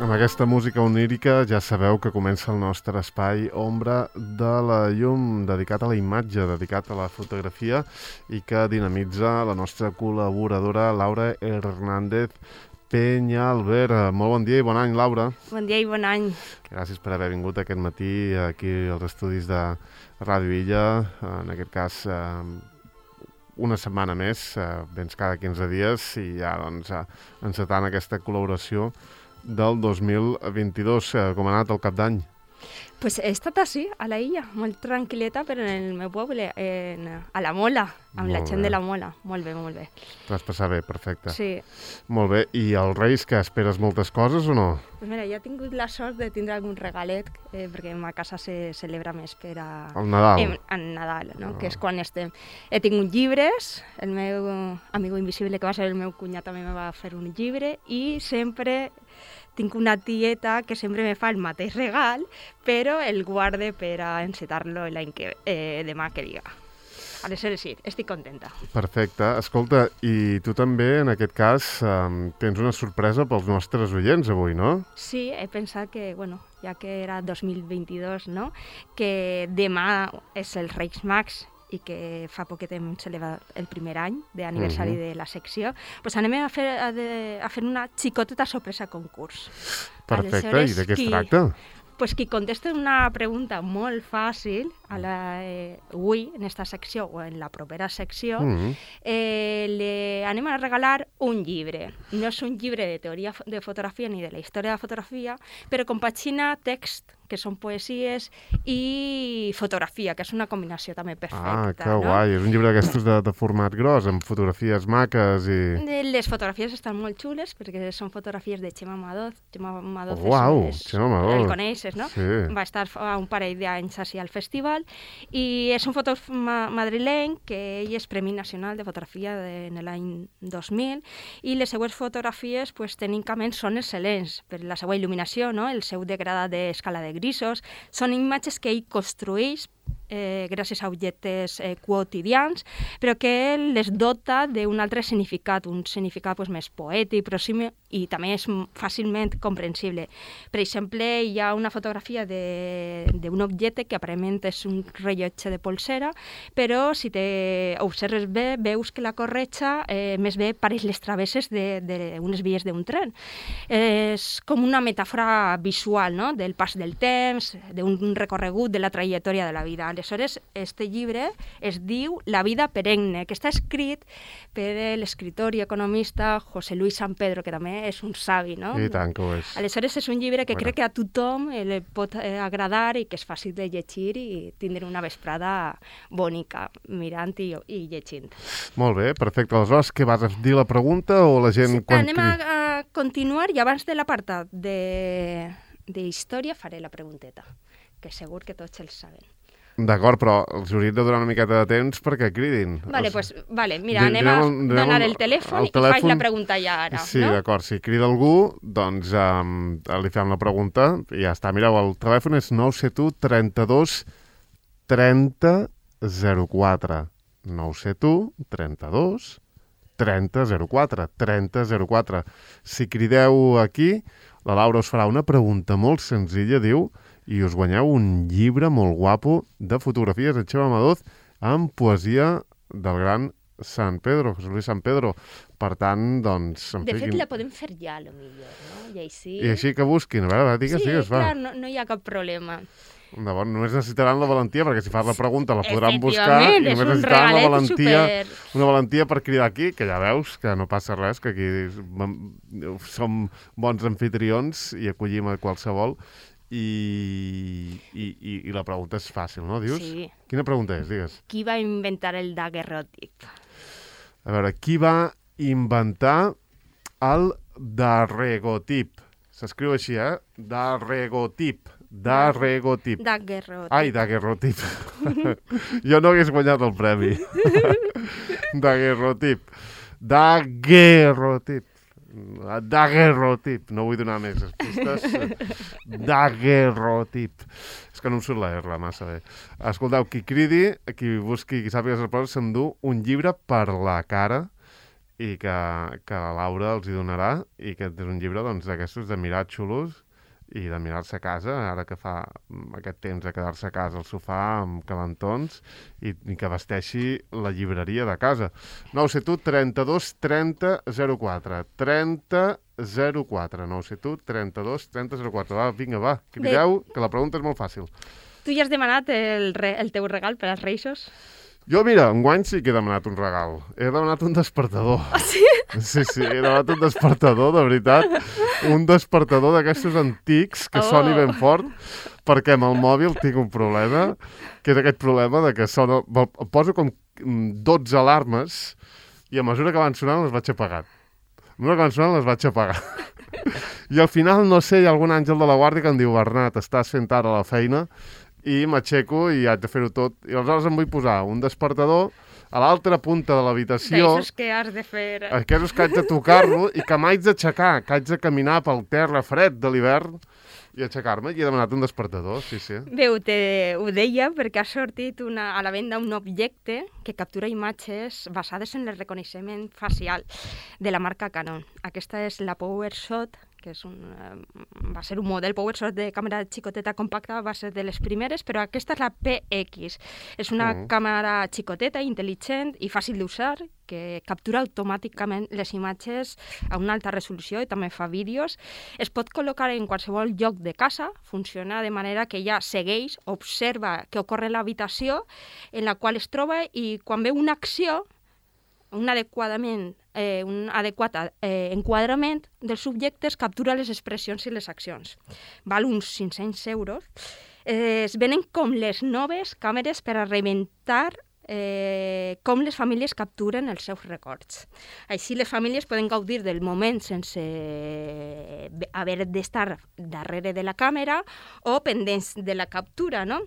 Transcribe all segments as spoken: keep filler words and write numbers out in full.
Amb aquesta música onírica ja sabeu que comença el nostre espai Ombra de la Llum, dedicat a la imatge, dedicat a la fotografia i que dinamitza la nostra col·laboradora Laura Hernández Peñalver. Molt bon dia i bon any, Laura. Bon dia i bon any. Gràcies per haver vingut aquest matí aquí als estudis de Ràdio Illa, en aquest cas una setmana més, vens cada quinze dies i ja doncs, encetant aquesta col·laboració del dos mil vint-i-dos. Com ha anat el cap d'any? Pues he estat així, a la illa, molt tranquil·leta, però en el meu poble, en, a la Mola, amb molt la gent bé. de la Mola. Molt bé, molt bé. T'ho vas passar bé, perfecte. Sí. Molt bé. I als Reis, que esperes moltes coses o no? Pues mira, ja he tingut la sort de tindre algun regalet, eh, perquè a casa se celebra més per a... El Nadal. En, en Nadal, no? Oh. Que és quan estem. He tingut llibres, el meu amigo invisible, que va ser el meu cunyat, també me va fer un llibre, i sempre... Tinc una tieta que sempre me fa el mateix regal, però el guarde per a encetar-lo l'any que eh, demà que diga. Aleshores sí, estic contenta. Perfecte. Escolta, i tu també, en aquest cas, eh, tens una sorpresa pels nostres oients avui, no? Sí, he pensat que, bueno, ja que era dos mil vint-i-dos, no?, que demà és el Reis Mags, i que fa poquet hem celebrat el primer any d'aniversari uh-huh. de la secció, doncs anem a fer, a, de, a fer una xicoteta sorpresa concurs. Perfecte, Aleshores, i de què es qui, tracta? Pues qui contesta una pregunta molt fàcil a la, eh, avui, en esta secció o en la propera secció, uh-huh. eh, le anem a regalar un llibre. No és un llibre de teoria de fotografia ni de la història de la fotografia, però compagina text, que són poesies, i fotografia, que és una combinació també perfecta. Ah, que no? guai. És un llibre d'aquestos de, de format gros, amb fotografies maques i... Les fotografies estan molt xules, perquè són fotografies de Xema Madoz. Xema Madoz oh, uau, és... Xema Madoz. El coneixes, no? Sí. Va estar fa un parell d'anys així al festival, i és un fotògraf ma madrileny que ell és Premi Nacional de Fotografia de, en l'any dos mil, i les seues fotografies, pues, tècnicament, són excel·lents per la seva il·luminació, no? El seu degradat d'escala de grisos, són imatges que ell construeix eh, gràcies a objectes eh, quotidians, però que les dota d'un altre significat, un significat pues, més poètic, pròxim, i també és fàcilment comprensible. Per exemple, hi ha una fotografia d'un objecte que aparentment és un rellotge de polsera, però si te observes bé, veus que la corretja eh, més bé pareix les travesses d'unes vies d'un tren. Eh, és com una metàfora visual, no?, del pas del temps, d'un recorregut de la trajectòria de la vida. Aleshores, este llibre es diu La vida perenne, que està escrit per l'escriptor i economista José Luis San Pedro, que també és un savi, no? I tant que ho és. Aleshores, és un llibre que bueno. crec que a tothom li pot eh, agradar i que és fàcil de llegir i tindre una vesprada bonica, mirant i, i llegint. Molt bé, perfecte. Aleshores, què vas a dir la pregunta o la gent... Sí, quan... anem a, a continuar i abans de l'apartat de, de història faré la pregunteta, que segur que tots els saben. D'acord, però els hauríem de donar una miqueta de temps perquè cridin. Vale, o sigui, pues, vale, mira, anem a donar el telèfon, el telèfon i faig la pregunta ja ara, sí, no? Sí, d'acord, si crida algú, doncs um, li fem la pregunta i ja està. Mireu, el telèfon és nou set u trenta-dos trenta zero quatre. nou set u trenta-dos trenta zero quatre. trenta zero quatre. Si crideu aquí, la Laura us farà una pregunta molt senzilla, diu, i us guanyeu un llibre molt guapo de fotografies de Xema Madoz amb poesia del gran San Pedro, José Luis San Pedro. Per tant, doncs... De fet, la podem fer ja, a lo millor, no? I així... I així que busquin, a veure, digues, sí, digues, va. Sí, clar, no, no hi ha cap problema. Llavors, només necessitaran la valentia, perquè si fas la pregunta la podran buscar i només és un necessitaran la valentia, super... una valentia per cridar aquí, que ja veus que no passa res, que aquí som bons anfitrions i acollim a qualsevol. I, i, i, i la pregunta és fàcil, no? Dius? Sí. Quina pregunta és? Digues. Qui va inventar el daguerrotip? A veure, qui va inventar el daguerrotip? S'escriu així, eh? Daguerrotip. Daguerrotip. Daguerrotip. Ai, daguerrotip. Jo no hagués guanyat el premi. Daguerrotip. Daguerrotip. Daguerrotip. No vull donar més pistes. Daguerrotip. És que no em surt la R massa bé. Escolteu, qui cridi, qui busqui, qui sàpiga les respostes, s'endú un llibre per la cara i que, que la Laura els hi donarà, i que és un llibre doncs, d'aquestos de mirar xulos i de mirar-se a casa, ara que fa aquest temps de quedar-se a casa al sofà amb calentons i, i que vesteixi la llibreria de casa. nou set u trenta-dos trenta zero quatre trenta zero quatre nou set u trenta-dos trenta zero quatre. Va, vinga, va, crideu, que la pregunta és molt fàcil. Tu ja has demanat el, re, el teu regal per als Reixos? Jo, mira, enguany sí que he demanat un regal. He demanat un despertador. Ah, sí? Sí, sí, he demanat un despertador, de veritat. Un despertador d'aquestos antics que oh. soni ben fort, perquè amb el mòbil tinc un problema, que és aquest problema de que sona... Poso com dotze alarmes i a mesura que van sonant les vaig apagant. A mesura que van sonant les vaig apagar. I al final, no sé, hi ha algun àngel de la guàrdia que em diu: Bernat, estàs fent ara la feina, i m'aixeco i haig de fer-ho tot. I aleshores em vull posar un despertador a l'altra punta de l'habitació. D'aixòs que has de fer... Aquests que haig de tocar-lo i que m'haig d'aixecar, que haig de caminar pel terra fred de l'hivern i aixecar-me. I he demanat un despertador, sí, sí. Bé, te, ho deia perquè ha sortit una, a la venda un objecte que captura imatges basades en el reconeixement facial de la marca Canon. Aquesta és la PowerShot, que és un, va ser un model PowerShot de càmera xicoteta compacta, va ser de les primeres, però aquesta és la P X. És una mm. càmera xicoteta, intel·ligent i fàcil d'usar, que captura automàticament les imatges a una alta resolució i també fa vídeos. Es pot col·locar en qualsevol lloc de casa, funciona de manera que ja segueix, observa què ocorre a l'habitació en la qual es troba i quan veu una acció, un adequadament, eh, un adequat eh, enquadrament dels subjectes, captura les expressions i les accions. Val uns cinc-cents euros. Eh, es venen com les noves càmeres per a reinventar eh, com les famílies capturen els seus records. Així les famílies poden gaudir del moment sense haver d'estar darrere de la càmera o pendents de la captura, no?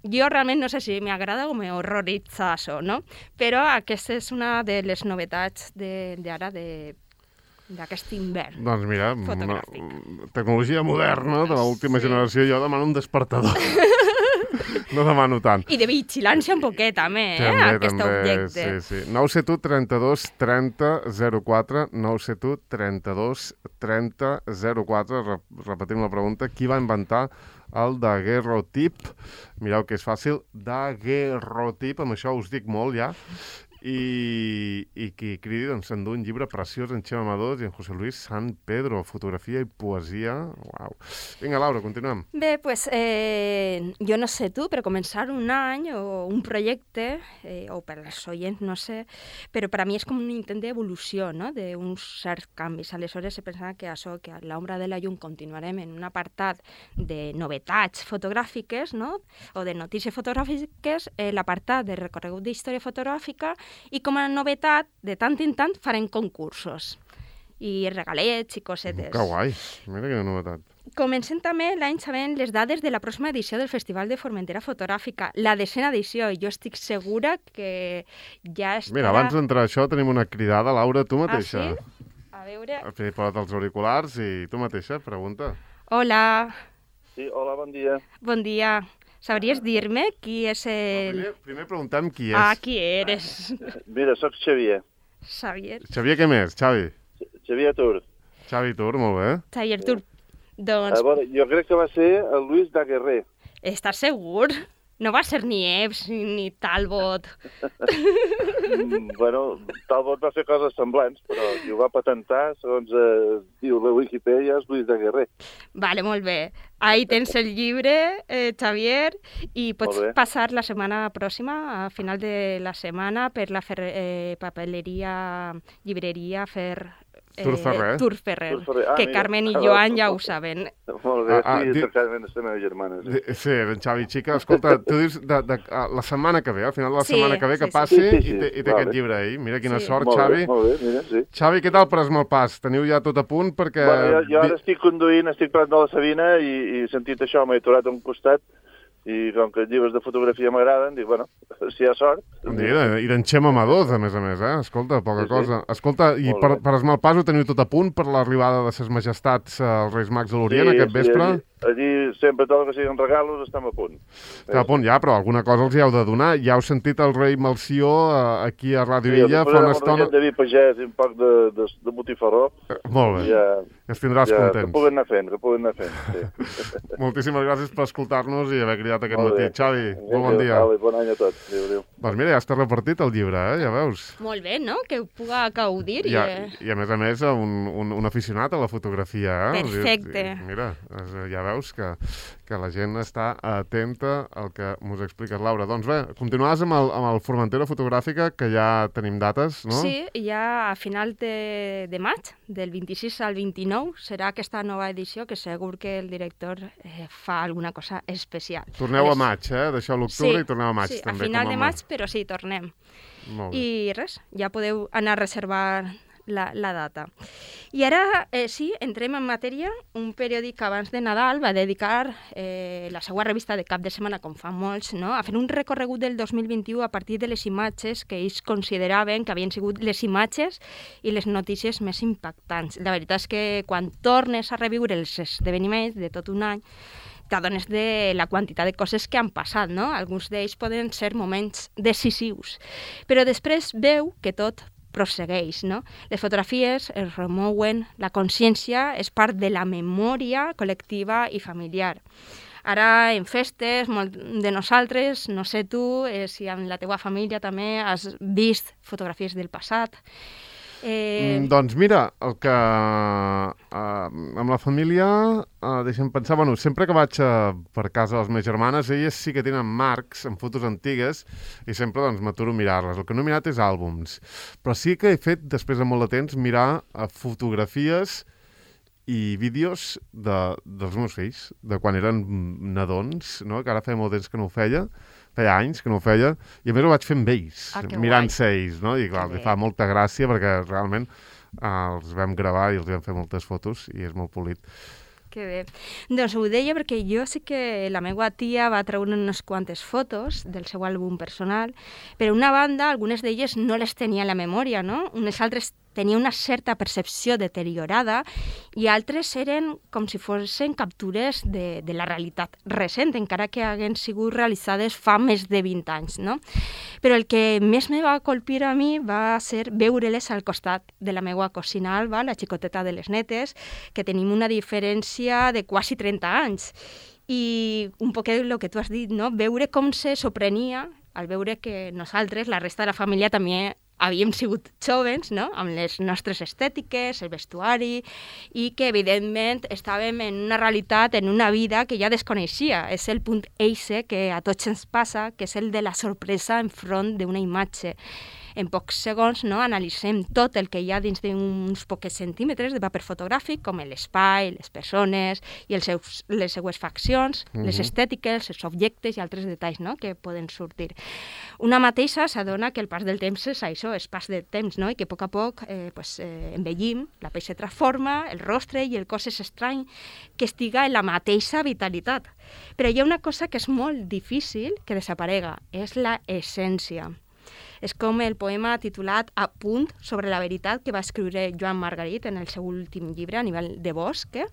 Jo realment no sé si m'agrada o m'horroritza això, no? Però aquesta és una de les novetats d'ara, d'aquest hivern. Doncs mira, una tecnologia moderna de l'última sí. generació, jo demano un despertador. No demano tant. I de vigilància un poquet, també, eh, també, aquest també, objecte. Sí, sí. nou set u trenta-dos trenta zero quatre nou set u trenta-dos trenta zero quatre. Repetim la pregunta. Qui va inventar el daguerrotip? Mireu que és fàcil. Daguerrotip, amb això us dic molt ja. I, i qui cridi doncs, s'endú un llibre preciós en Xema Amadors i en José Luis San Pedro, fotografia i poesia. Uau. Vinga, Laura, continuem. Bé, pues, eh, jo no sé tu, però començar un any o un projecte, eh, o per als oients, no sé, però per a mi és com un intent d'evolució, no?, d'uns certs canvis. Aleshores, he pensat que això, que a l'ombra de la llum continuarem en un apartat de novetats fotogràfiques, no?, o de notícies fotogràfiques, eh, l'apartat de recorregut d'història fotogràfica, i com a novetat, de tant en tant, farem concursos i regalets i cosetes. Que guai, mira quina novetat. Comencem també l'any sabent les dades de la pròxima edició del Festival de Formentera Fotogràfica, la desena edició. Jo estic segura que ja estarà... Mira, abans d'entrar a això tenim una cridada. Laura, tu mateixa. Ah, sí? A veure... Has posat els auriculars i tu mateixa, pregunta. Hola. Sí, hola, bon dia. Bon dia. Sabries dir-me qui és el... No, primer, primer preguntem qui és. Ah, qui eres? Mira, soc Xavier. Xavier. Xavier, què més? Xavi? Xavier Tur. Xavi Tur, molt bé. Xavier Tur. Doncs... A veure, jo crec que va ser el Luis Daguerre. Estàs segur? No va ser ni Epps ni Talbot. mm, bueno, Talbot va fer coses semblants, però qui ho va patentar, segons eh, diu la Wikipedia, és Luis Daguerre. Vale, molt bé. Ahí tens el llibre, eh, Xavier, i pots passar la setmana pròxima, a final de la setmana, per la fer, eh, papeleria, llibreria, fer... Eh, Tur Ferrer. Tur Ferrer, Tur Ferrer. Ah, que mira. Carmen i Joan ja ho saben. Molt bé, Ah, ah, sí, di- certament és la meva germana. Sí. Di- Sí, en Xavi, xica, escolta, tu dius de, de, a la setmana que ve, al final de la Sí, setmana que ve, que sí, sí. passi Sí, sí, sí. i té, i té Vale. aquest llibre ahí. Mira quina Sí. sort, Molt Xavi. bé, molt bé, mira, sí. Xavi, què tal per el pas? Teniu ja tot a punt? Perquè... Bueno, jo, jo ara vi- estic conduint, estic parlant de la Sabina i, i sentit això m'he aturat a un costat i com que els llibres de fotografia m'agraden, dic, bueno, si hi ha sort... Mira, i d'en Xema Amadors, a més a més, eh? Escolta, poca Sí, sí. cosa. Escolta, i Molt per, bé. per esmal pas ho teniu tot a punt per l'arribada de ses majestats eh, els Reis Mags de l'Orient aquest vespre? Sí, allí sempre tot el que siguin regalos estem a punt. Està a punt ja, però alguna cosa els hi heu de donar. Ja heu sentit el rei Melcior eh, aquí a Ràdio Sí, Illa fa una estona. Sí, de vi pagès i un poc de, de, de botifarró. Eh, molt bé, ja, ens tindràs ja, contents. Que puguen anar fent, que puguen anar fent, sí. Moltíssimes gràcies per escoltar-nos i haver cridat aquest Molt matí. bé. Xavi, molt bon dia. Vale, bon any a tots. Adéu, adéu. Doncs mira, ja està repartit el llibre, eh? Ja veus. Molt bé, no? Que ho puga gaudir. I, I, a, I a més a més, un, un, un aficionat a la fotografia, eh? Perfecte. I, mira, ja veus que, que la gent està atenta al que mos expliques, Laura. Doncs bé, continuaràs amb el, amb el Formentera Fotogràfica, que ja tenim dates, no? Sí, ja a final de, de maig, del vint-i-sis al vint-i-nou, serà aquesta nova edició, que segur que el director eh, fa alguna cosa especial. Torneu a maig, eh? Deixeu l'octubre sí, i torneu a maig, sí, també. Sí, a final com de maig, però sí, tornem. Molt bé. I res, ja podeu anar a reservar la, la data. I ara, eh, sí, entrem en matèria. Un periòdic abans de Nadal va dedicar eh, la seva revista de cap de setmana, com fan molts, no? a fer un recorregut del dos mil vint-i-u a partir de les imatges que ells consideraven que havien sigut les imatges i les notícies més impactants. La veritat és que quan tornes a reviure els esdeveniments de tot un any, t'adones de la quantitat de coses que han passat, no? Alguns d'ells poden ser moments decisius. Però després veu que tot prossegueix, no? Les fotografies es remouen, la consciència és part de la memòria col·lectiva i familiar. Ara, en festes, molt de nosaltres, no sé tu, eh, si amb la teua família també has vist fotografies del passat. Eh... Mm, doncs mira, el que eh, amb la família, eh, deixa'm pensar, bueno, sempre que vaig eh, per casa de les meves germanes, elles sí que tenen marcs amb fotos antigues i sempre doncs m'aturo a mirar-les. El que no he mirat és àlbums, però sí que he fet, després de molt de temps, mirar eh, fotografies i vídeos de, dels meus fills, de quan eren nadons, no? Que ara feia molt temps que no ho feia, feia anys que no ho feia, i a més ho vaig fer amb ells, ah, mirant-se ells, no? I clar, li fa molta gràcia perquè realment eh, els vam gravar i els vam fer moltes fotos i és molt polit. Que bé. Doncs ho deia perquè jo sí que la meva tia va treure unes quantes fotos del seu àlbum personal, però una banda, algunes d'elles no les tenia a la memòria, no? Unes altres tenia una certa percepció deteriorada i altres eren com si fossin captures de, de la realitat recent, encara que haguin sigut realitzades fa més de vint anys, no? Però el que més me va colpir a mi va ser veure-les al costat de la meva cosina Alba, la xicoteta de les netes, que tenim una diferència de quasi trenta anys. I un poc el que tu has dit, no? Veure com se sorprenia al veure que nosaltres, la resta de la família, també havíem sigut joves, no? Amb les nostres estètiques, el vestuari, i que, evidentment, estàvem en una realitat, en una vida que ja desconeixia. És el punt eixe que a tots ens passa, que és el de la sorpresa enfront d'una imatge. En pocs segons, no, analitzem tot el que hi ha dins d'uns pocs centímetres de paper fotogràfic, com l'espai, les persones i els seus, les seues faccions, mm-hmm. les estètiques, els objectes i altres detalls, no, que poden sortir. Una mateixa s'adona que el pas del temps és això, és pas de temps, no? I que a poc a poc eh, pues, eh, envellim, la pell se transforma, el rostre i el cos és estrany que estiga en la mateixa vitalitat. Però hi ha una cosa que és molt difícil que desaparega, és la essència. És com el poema titulat A punt sobre la veritat que va escriure Joan Margarit en el seu últim llibre, a nivell de bosc, eh?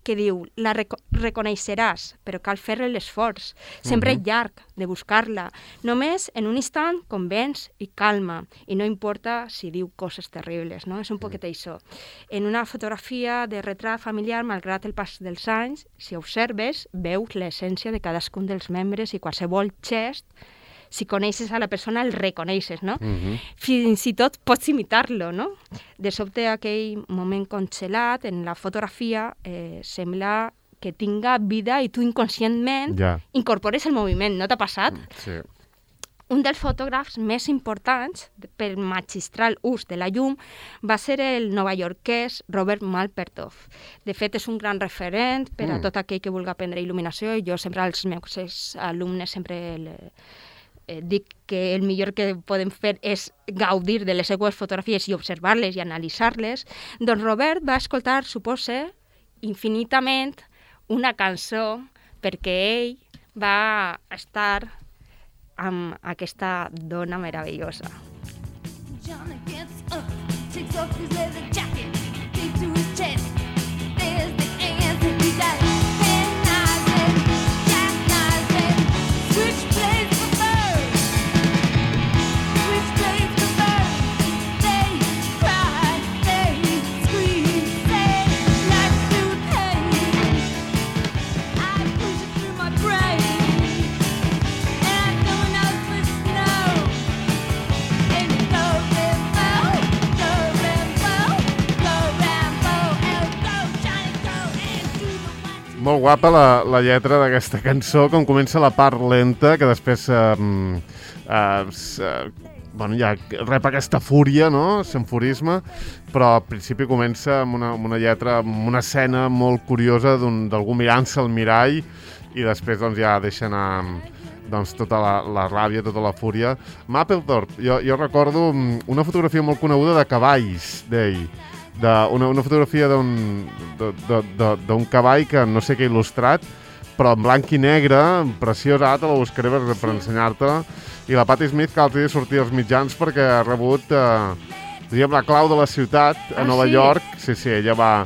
Que diu, la reco- reconeixeràs, però cal fer-li l'esforç, sempre uh-huh. llarg, de buscar-la. Només en un instant convenç i calma, i no importa si diu coses terribles, no? És un poquet això. En una fotografia de retrat familiar, malgrat el pas dels anys, si observes, veus l'essència de cadascun dels membres i qualsevol gest. Si coneixes a la persona, el reconeixes, no? Uh-huh. Fins i tot pots imitar-lo, no? De sobte, aquell moment congelat en la fotografia eh, sembla que tinga vida i tu inconscientment ja. incorpores el moviment. No t'ha passat? Sí. Un dels fotògrafs més importants pel magistral ús de la llum va ser el novaiorquès Robert Mapplethorpe. De fet, és un gran referent per a mm. tot aquell que vulgui aprendre il·luminació, i jo sempre als meus alumnes sempre le, eh, dic que el millor que podem fer és gaudir de les seues fotografies i observar-les i analitzar-les. Doncs Robert va escoltar, suposa, infinitament una cançó perquè ell va estar amb aquesta dona meravellosa. Johnny gets up, takes off his leather jacket, takes to his chest. There's the answer he got. And I Molt guapa la, la lletra d'aquesta cançó, com comença la part lenta, que després eh, eh, eh, bueno, ja rep aquesta fúria, no? S'enfurisme, però al principi comença amb una, amb una lletra, amb una escena molt curiosa d'algú mirant-se al mirall i després doncs, ja deixa anar doncs, tota la, la ràbia, tota la fúria. Mapplethorpe, jo, jo recordo una fotografia molt coneguda de cavalls d'ell, de una, una fotografia d'un cavall que no sé què ha il·lustrat, però en blanc i negre, preciosa, ara te la buscaré per, per ensenyar-te-la, i la Patti Smith que l'altre dia sortia als mitjans perquè ha rebut eh, diríem, la clau de la ciutat a ah, Nova sí? York. Sí, sí, ella va,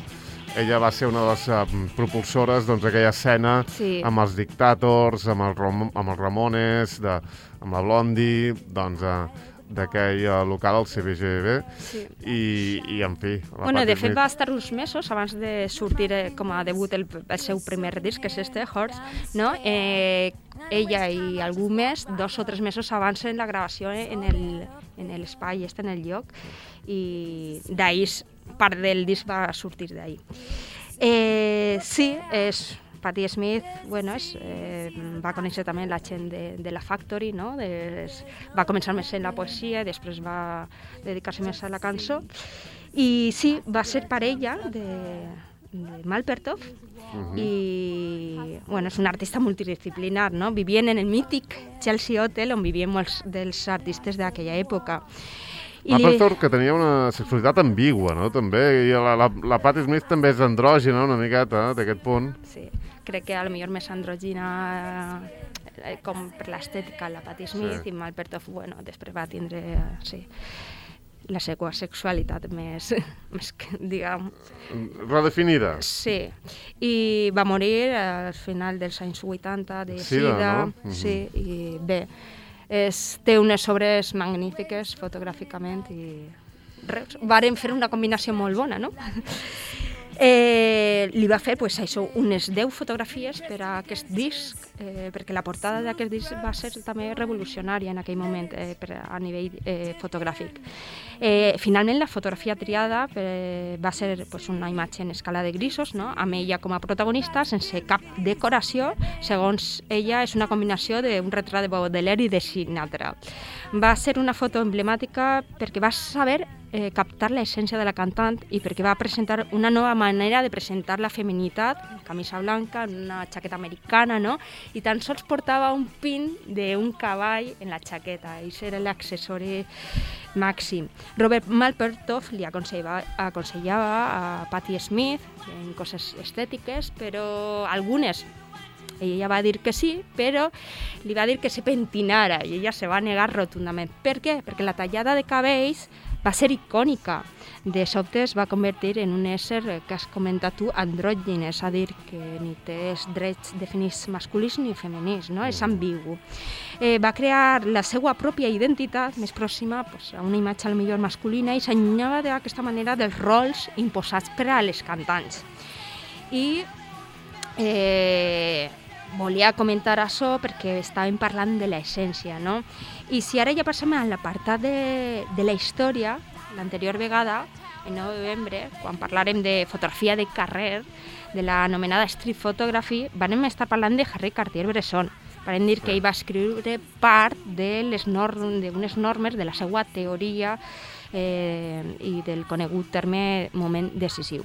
ella va ser una de les uh, propulsores d'aquella doncs, escena sí. amb els Dictators, amb, el Rom amb els Ramones, de, amb la Blondie, doncs... Uh, d'aquell uh, local al C B G B sí. i, i en fi... Bueno, de fet va estar uns mesos abans de sortir eh, com a debut el, el seu primer disc, que és este, Horse, no? Eh, ella i algú més, dos o tres mesos abans en la gravació en l'espai, este en el lloc, i d'ahir part del disc va sortir d'ahir. Eh, sí, és... Patti Smith, bueno, és, eh, va conèixer també la gent de, de la Factory, no? De, va començar més en la poesia i després va dedicar-se més a la cançó. I sí, va ser parella de, de Mapplethorpe uh-huh. i bueno, és un artista multidisciplinar, no? Vivien en el mític Chelsea Hotel on vivien molts dels artistes d'aquella època. Mapplethorpe, que tenia una sexualitat ambigua, no? També, i la, la, la Patti Smith també és andrògina, una miqueta, eh, d'aquest punt. Sí, crec que a lo millor més andrògina eh, com per l'estètica la Patti Smith sí. I Mapplethorpe, bueno, després va tindre, sí, la seva sexualitat més, més diguem... Redefinida. Sí, i va morir al final dels anys vuitanta de sida, sida, no? Uh-huh. Sí, i bé, és, té unes obres magnífiques fotogràficament i res, varen fer una combinació molt bona, no? Eh, li va fer pues, això, unes deu fotografies per a aquest disc, eh, perquè la portada d'aquest disc va ser també revolucionària en aquell moment eh, per a nivell eh, fotogràfic. Eh, finalment, la fotografia triada eh, va ser pues, una imatge en escala de grisos, no? Amb ella com a protagonista, sense cap decoració. Segons ella, és una combinació d'un retrat de Baudelaire i de Sinatra. Va ser una foto emblemàtica perquè va saber eh, captar l'essència de la cantant i perquè va presentar una nova manera de presentar la feminitat, camisa blanca, una jaqueta americana, no? I tan sols portava un pin d'un cavall en la jaqueta, i era l'accessori màxim. Robert Mapplethorpe li aconsellava, aconsellava a Patti Smith en coses estètiques, però algunes ella va dir que sí, però li va dir que se pentinara i ella se va negar rotundament. Per què? Perquè la tallada de cabells va ser icònica. De sobte es va convertir en un ésser que has comentat tu, andrògin, és a dir, que ni té drets definits masculins ni femenins, no? És ambigu. Eh, va crear la seva pròpia identitat més pròxima pues, a una imatge millor masculina i s'allunyava d'aquesta manera dels rols imposats per a les cantants. I eh, volia comentar això perquè estàvem parlant de l'essència, no? I si ara ja passem a l'apartat de, de la història, l'anterior vegada, el nou de novembre, quan parlarem de fotografia de carrer, de l'anomenada street photography, vam estar parlant de Henri Cartier-Bresson. Vam dir que ell va escriure part d'unes norm, normes de la seva teoria eh, i del conegut terme moment decisiu.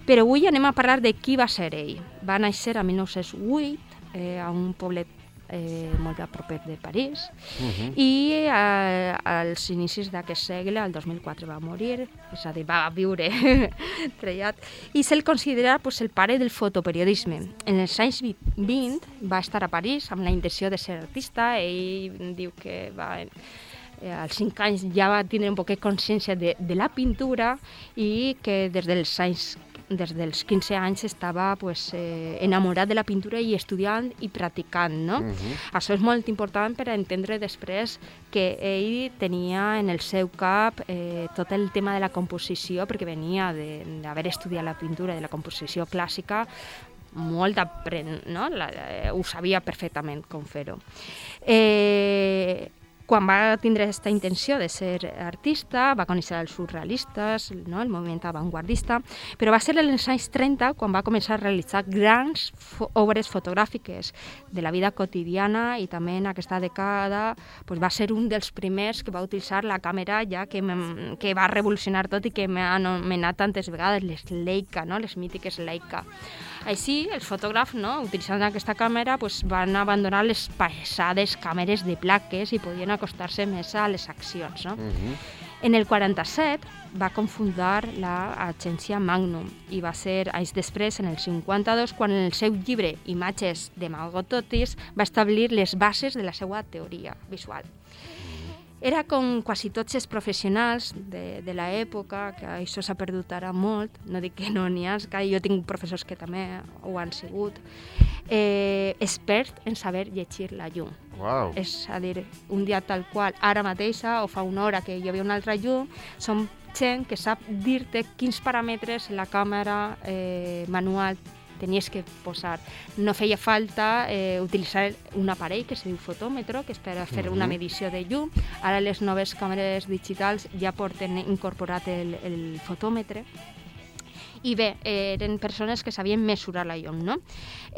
Però avui anem a parlar de qui va ser ell. Va néixer a mil nou-cents vuit eh, a un poblet eh, molt a proper de París uh-huh. i eh, als inicis d'aquest segle, el dos mil quatre, va morir, és a dir, va viure trellat, i se'l considera pues, el pare del fotoperiodisme. En els anys vint va estar a París amb la intenció de ser artista. Ell diu que va... Eh, als cinc anys ja va tindre un poquet consciència de, de la pintura i que des dels anys des dels quinze anys estava pues, eh, enamorat de la pintura i estudiant i practicant, no? Uh-huh. Això és molt important per a entendre després que ell tenia en el seu cap eh, tot el tema de la composició, perquè venia d'haver estudiat la pintura, de la composició clàssica, molt d'apren, no? La, eh, ho sabia perfectament com fer-ho. Eh, quan va tindre aquesta intenció de ser artista, va conèixer els surrealistes, no? El moviment avantguardista, però va ser en els anys trenta quan va començar a realitzar grans fo obres fotogràfiques de la vida quotidiana, i també en aquesta dècada pues, va ser un dels primers que va utilitzar la càmera ja que, que va revolucionar tot i que m'ha anomenat tantes vegades les Leica, no? Les mítiques Leica. Així, els fotògrafs, no? Utilitzant aquesta càmera, pues, van abandonar les pesades càmeres de plaques i podien acostar-se més a les accions. No? Uh-huh. En el quaranta-set va confundar l'agència Magnum i va ser anys després, en el cinquanta-dos, quan en el seu llibre Imatges de Magototis va establir les bases de la seva teoria visual. Era com quasi tots els professionals de, de l'època, que això s'ha perdut ara molt, no dic que no n'hi ha, que jo tinc professors que també ho han sigut, eh, expert en saber llegir la llum. Wow. És a dir, un dia tal qual, ara mateixa, o fa una hora que hi havia una altra llum, som gent que sap dir-te quins paràmetres en la càmera eh, manual tenies que posar. No feia falta eh, utilitzar un aparell que es diu fotòmetre, que és per fer una medició de llum. Ara les noves càmeres digitals ja porten incorporat el, el fotòmetre. I bé, eh, eren persones que sabien mesurar la llum, no?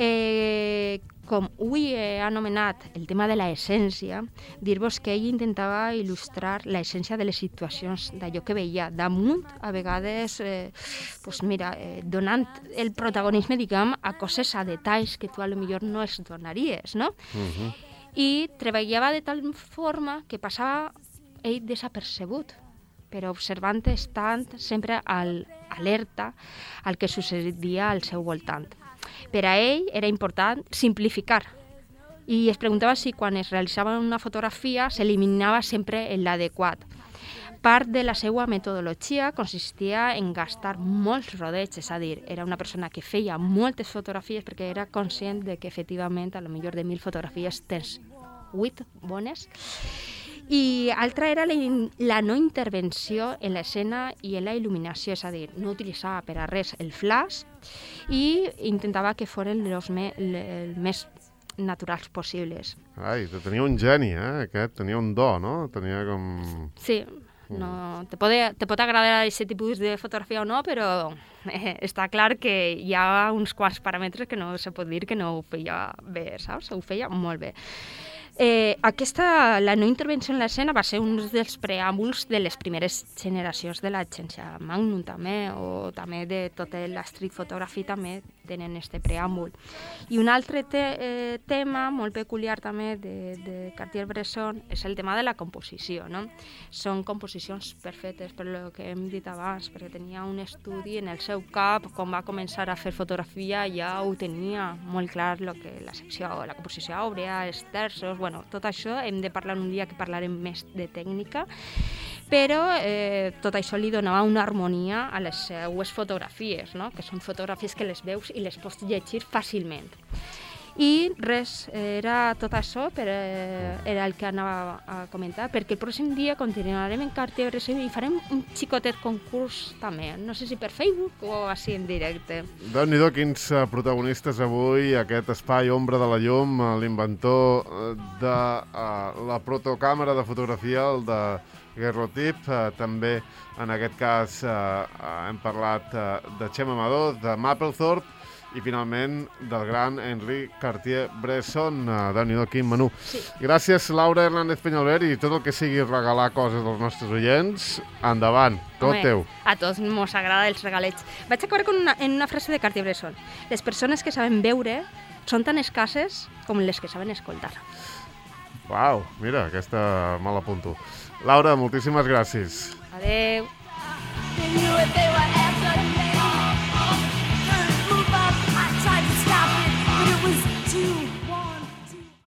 Eh, com avui he anomenat el tema de l'essència, dir-vos que ell intentava il·lustrar l'essència de les situacions, d'allò que veia damunt, a vegades, eh, pues mira, eh, donant el protagonisme, diguem, a coses, a detalls que tu a lo millor no es donaries, no? Uh-huh. I treballava de tal forma que passava ell desapercebut, però observant, estant sempre al, alerta al que succedia al seu voltant. Per a ell era important simplificar i es preguntava si quan es realitzava una fotografia s'eliminava sempre l'adequat. Part de la seva metodologia consistia en gastar molts rodets, és a dir, era una persona que feia moltes fotografies perquè era conscient de que efectivament a lo millor de mil fotografies tens vuit bones. I altra era la, la no intervenció en l'escena i en la il·luminació, és a dir, no utilitzava per a res el flash i intentava que foren els me, el més naturals possibles. Ai, tenia un geni, eh, aquest, tenia un do, no? Tenia com... Sí, no, te, pot, te pot agradar aquest tipus de fotografia o no, però eh, està clar que hi ha uns quants paràmetres que no se pot dir que no ho feia bé, saps? Ho feia molt bé. Eh, aquesta, la no intervenció en l'escena va ser un dels preàmbuls de les primeres generacions de l'agència Magnum també, o també de tota la street photography també tenen este preàmbul. I un altre te, eh, tema molt peculiar també de, de Cartier-Bresson és el tema de la composició, no? Són composicions perfectes per el que hem dit abans, perquè tenia un estudi en el seu cap, quan va començar a fer fotografia ja ho tenia molt clar lo que la secció, la composició àurea, els terços. Bueno, tot això hem de parlar un dia que parlarem més de tècnica, però eh, tot això li donava una harmonia a les seues fotografies, no? Que són fotografies que les veus i les pots llegir fàcilment. I res, era tot això, per, eh, era el que anava a comentar, perquè el pròxim dia continuarem en Cartier-Bresson i farem un xicotet concurs també, no sé si per Facebook o així en directe. Déu-n'hi-do, quins uh, protagonistes avui, aquest espai Ombra de la Llum, uh, l'inventor uh, de uh, la protocàmera de fotografia, el de Guerrotip, uh, també en aquest cas uh, uh, hem parlat uh, de Txema Amador, de Mapplethorpe, i finalment del gran Henri Cartier-Bresson. Uh, Déu-n'hi-do, quin menú. Sí. Gràcies, Laura Hernández Peñalver, i tot el que sigui regalar coses als nostres oients, endavant, tot Home, teu. A tots mos agrada els regalets. Vaig acabar con una, en una frase de Cartier-Bresson. Les persones que saben veure són tan escasses com les que saben escoltar. Uau, mira, aquesta me l'apunto. Laura, moltíssimes gràcies. Adeu.